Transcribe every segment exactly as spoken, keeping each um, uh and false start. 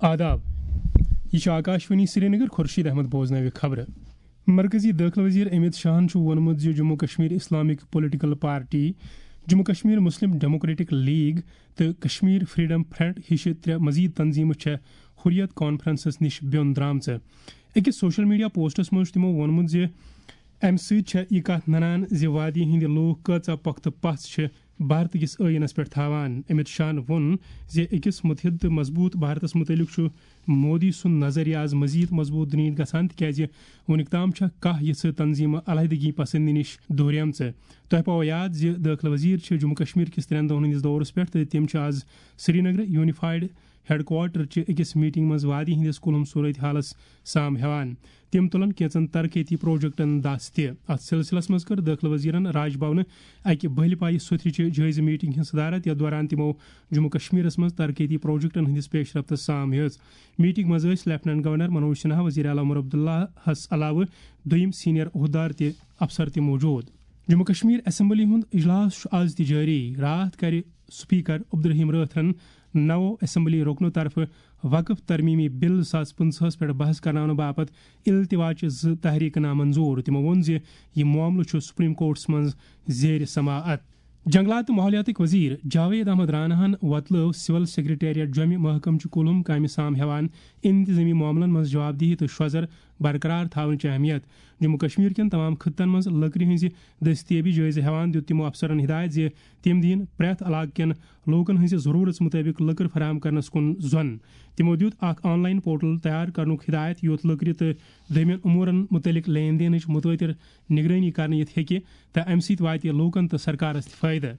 آداب۔ یہ چھُ آکاشوانی سرینگر۔ خورشید احمد بوزناوِ خبرٕ۔ مرکزی دٲخلہٕ وزیر امیت شاہن چھُ ووٚنمُت زِ Jammu Kashmir Islamic political party, Jammu Kashmir Muslim democratic league تہٕ کشمیر فریڈم فرنٹ ہِشہِ ترٛےٚ مزید تنظیمہٕ چھےٚ حریت کانفرنسس نِش بیوٚن درٛامژٕ۔ أکِس سوشل میڈیا پوسٹس منٛز چھُ تِمو ووٚنمُت زِ امہِ سۭتۍ چھےٚ یہِ کتھ ننان زِ وادی ہٕنٛدۍ لوٗکھ کۭژاہ پۄختہٕ پژھ چھِ بھارت کِس ٲییٖنس پٮ۪ٹھ تھاوان۔ امیت شاہن ووٚن زِ أکِس متحد تہٕ مضبوٗط بھارتس مُتعلق چھُ مودی سُنٛد نظریہ از مزید مضبوٗط دُنیہٕچ گژھان، تِکیازِ وُنیُک تام چھےٚ کاہ یِژھٕ تنظیمہٕ علیحدگی پسندی نِش دوریمژٕ۔ تۄہہِ پاوو یاد زِ دٲخلہٕ وزیر چھِ جموں کشمیر کِس ترٛٮ۪ن دۄہن ہٕنٛدِس دورس پٮ۪ٹھ تہٕ تِم چھِ از سرینگرٕ یونیفایڈ ہیڈ کوارٹر چہِ أکِس میٹنگ منٛز وادی ہٕنٛدِس کُلہُم صورت حالس سام ہٮ۪وان۔ تِم تُلن کینٛژن ترقیتی پروجیکٹن دس تہِ۔ اتھ سلسلس منٛز کٔر دٲخلہٕ وزیرن راج بھونہٕ اکہِ بٔلۍ پایہِ سُتھرِ چہِ جٲیزٕ میٹنگ ہٕنٛز صدارت، یتھ دوران تِمو جموں کشمیرس منٛز ترقیتی پروجیکٹن ہٕنٛدِس پیش رفتس سام ہیٚژ۔ میٹنگ منٛز ٲسۍ لیفٹیننٹ گورنر منوج سنہا، وزیر اعلیٰ عمر عبداللہس علاوٕ دوٚیِم سینئر عہدٕدار تہِ افسر تہِ موجود۔ جموں کشمیر اسمبلی ہُنٛد اجلاس چھُ آز تہِ جٲری۔ راتھ کرِ سپیکر عبدالرحیم رٲتھرن نَو اسمبلی رُکنو طرفہٕ وقف ترمیمی بل زٕ ساس پٕنٛژٕہس پٮ۪ٹھ بحث کرناونہٕ باپتھ التوا چہِ زٕ تحریکہٕ نامنظور۔ تِمو ووٚن زِ یہِ معاملہٕ چھُ سپریم کورٹس منٛز زیر سماعت۔ جنگلات تہٕ ماحولیاتٕکۍ وزیر جاوید احمد راناہن وۄتلٲو سول سیکرٹریٹ جوٚمہِ محکمہٕ چہِ کُلہُم کامہِ سام ہٮ۪وان انتظٲمی معاملن منٛز جوابدہی تہٕ شۄزر برقرار تھاونٕچ اہمیت۔ جموں کشمیر کٮ۪ن تمام خطن منٛز لٔکرِ ہٕنٛزِ دٔستیٲبی جٲیزٕ ہٮ۪وان دیُت تِمو افسرن ہدایت زِ تِم دِیِن پرٛٮ۪تھ علاقہٕ کٮ۪ن لوٗکن ہٕنٛزِ ضروٗرژ مُطٲبِق لٔکٕر فراہم کرنس کُن زۄن۔ تِمو دیُت اکھ آن لائن پورٹل تیار کرنُک ہدایت، یُتھ لٔکرِ تہٕ دوٚیمٮ۪ن امورن مُتعلق لین دینٕچ متوٲتر نگرٲنی کرنہٕ یِتھ ہیٚکہِ تہٕ امہِ سۭتۍ واتہِ لوٗکن تہٕ سرکارس تہِ فٲیدٕ۔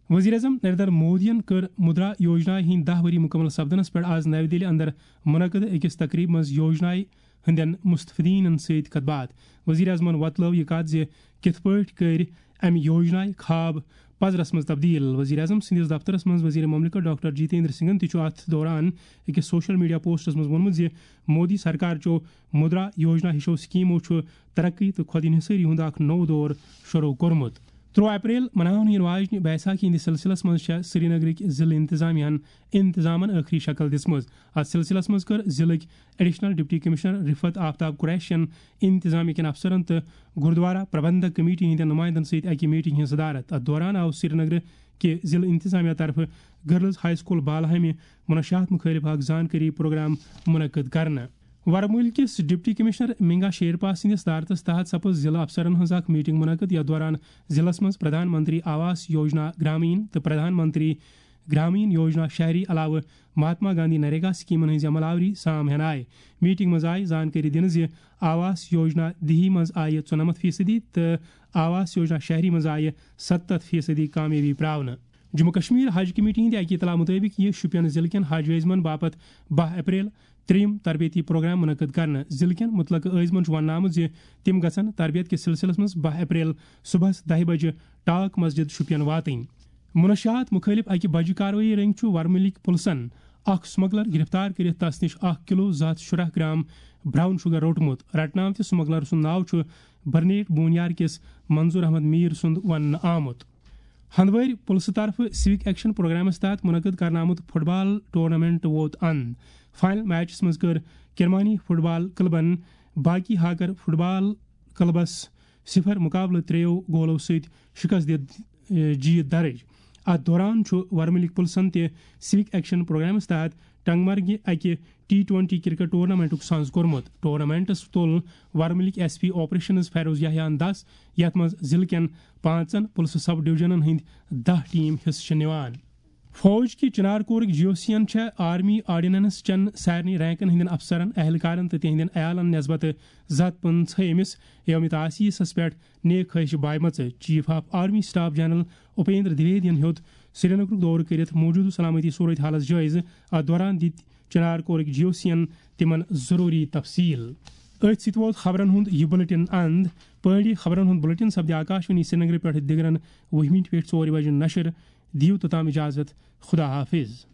وزیر اعظم نریندر مودیَن کٔر مدرا یوجنا ہٕنٛدۍ دَہ ؤری مُکمل سپدنس پٮ۪ٹھ آز نَوِ دِلہِ اندر منعقد أکِس تقریبہِ منٛز یوجنایہِ ہٕنٛدٮ۪ن مستفیدیٖنَن سۭتۍ کتھ باتھ۔ وزیر اعظمَن وۄتلٲو یہِ کتھ زِ کِتھ پٲٹھۍ کٔرۍ امہِ یوجنایہِ خواب پزرس منٛز تبدیل۔ وزیر اعظم سٕنٛدِس دفترس منٛز وزیر مملکت ڈاکٹر جتیندر سنگھن تہِ چھُ اتھ دوران أکِس سوشل میڈیا پوسٹس منٛز ووٚنمُت زِ مودی سرکار چو مدرا یوجنا ہِشو سکیمو چھُ ترقی تہٕ خود انحصٲری ہُنٛد اکھ نوٚو دور شروع کوٚرمُت۔ ترٛوہ اپریل مناونہٕ یِنہٕ واجنہِ بیساکھی ہٕنٛدِس سلسلس منٛز چھےٚ سرینگرٕکۍ ضلعہٕ انتظامیہ ہن انتظامن ٲخری شکل دِژمٕژ۔ اتھ سلسلس منٛز کٔر ضلعٕکۍ ایڈیشنل ڈپٹی کمشنر رفعت آفتاب قریشین انتظامیہ کٮ۪ن افسرن تہٕ گردوارہ پربندھک کمیٹی ہٕنٛدٮ۪ن نمائندن سۭتۍ اکہِ میٹنگ ہٕنٛز صدارت۔ اتھ دوران آو سرینگرٕ کہِ ضلعہٕ انتظامیہ طرفہٕ گرلز ہائی سکول بالہامہِ منشیات مُخٲلف اکھ زانکٲری پروگرام منعقد کرنہٕ۔ ورمُلۍ کِس ڈپٹی کمشنر مینگا شیرپا سٕنٛدِس صدارتس تحت سپٕز ضلعہٕ افسرن ہٕنٛز اکھ میٹنگ منعقد، یتھ دوران ضلعس منٛز پردھان منتری آواس یوجنا گرامین تہٕ پردھان منتری گرامین یوجنا شہری علاوٕ مہاتما گاندھی نریگا سکیمن ہٕنٛز عمل آوری سام ہٮ۪نہٕ آیہِ۔ میٹنگ منٛز آیہِ زانکٲری دِنہٕ زِ آواس یوجنا دیہی منٛز آیہِ ژُنَمَتھ فیصدی تہٕ آواس یوجنا شہری منٛز آیہِ ستتھ فیصدی کامیٲبی پراونہٕ۔ جموں کشمیر حج کمیٹی ہٕنٛدِ اکہِ اطلاع مُطٲبِق یِیہِ شُپین ضلعہٕ کٮ۪ن حج عٲزمن باپتھ باہ اپریل ترٛیٚیِم تربیتی پروگرام منعقد کرنہٕ۔ ضلعہٕ کٮ۪ن مُتعلقہٕ عٲزمن چھُ وننہٕ آمُت زِ تِم گژھن تربیت کِس سلسلس منٛز باہ اپریل صبحس دَہہِ بجہِ ٹاک مسجد شُپین واتٕنۍ۔ منشیات مُخٲلف اکہِ بجہِ کاروٲیی رٔنگۍ چھُ ورمُلٕکۍ پُلسن اکھ سمگلر گرفتار کٔرِتھ تس نِش اکھ کلو زٕ ہتھ شُراہ گرام براؤن شوگر روٚٹمُت۔ رٹنہٕ آمتِس سمگلر سُنٛد ناو چھُ برنیٹ بونیار کِس منظور احمد میر سُنٛد وننہٕ آمُت۔ ہندوٲرۍ پُلسہٕ طرفہٕ سِوک ایکشن پروگرامس تحت منعقد کرنہٕ آمُت فٹ بال ٹورنامنٹ ووت اند۔ فائنل میچس منٛز کٔر کرمانی فٹ بال کلبن باقی ہاکر فٹ بال کلبس صفر مقابلہٕ ترٛیٚیو گولو سۭتۍ شکست دِتھ، ٲ، جیت درج۔ اتھ دوران چھُ ورمُلٕکۍ پُلسن تہِ سِوک ایکشن پروگرامس تحت ٹنگمرگہِ اکہِ ٹی ٹوئنٹی کرکٹ ٹورنامنٹُک سنز کوٚرمُت۔ ٹورنامنٹس تُل ورمُلٕکۍ ایس پی آپریشنز فیروز یحییٰ ہن دس، یتھ منٛز ضلعہٕ کٮ۪ن پانٛژن پُلسہٕ سب ڈویژنن ہٕنٛدۍ دَہ ٹیم حصہٕ چھِ نِوان۔ فوج کہِ چنار کورٕکۍ جی او سی ین چھےٚ آرمی آرڈیننس چٮ۪ن سارنٕے رینکن ہٕنٛدٮ۪ن افسرن، اہلکارن تہٕ تِہنٛدٮ۪ن عیالن نسبت زٕ ہتھ پٕنٛژٕہمِس یوم تاسیسس پٮ۪ٹھ نیک خواہش بایمژٕ۔ Chief of army staff general Upendra دویدین ہیوٚت سرینگرُک دورٕ کٔرِتھ موجودٕ سلامتی صورت حالس جٲیزٕ۔ اتھ دوران دِتۍ چنار کورٕکۍ جی او سی ین تِمن ضروٗری تفصیل۔ أتھۍ سۭتۍ ووت خبرن ہُنٛد یہِ بُلٹن اند۔ پٲڑی خبرن ہُنٛد بُلٹن سپدِ آکاشوانی سرینگرٕ پٮ۪ٹھ دِگرن وُہہِ مِنٹہِ پٮ۪ٹھ ژورِ بجہِ نشر۔ دِیِو توٚتام اجازت۔ خدا حافظ۔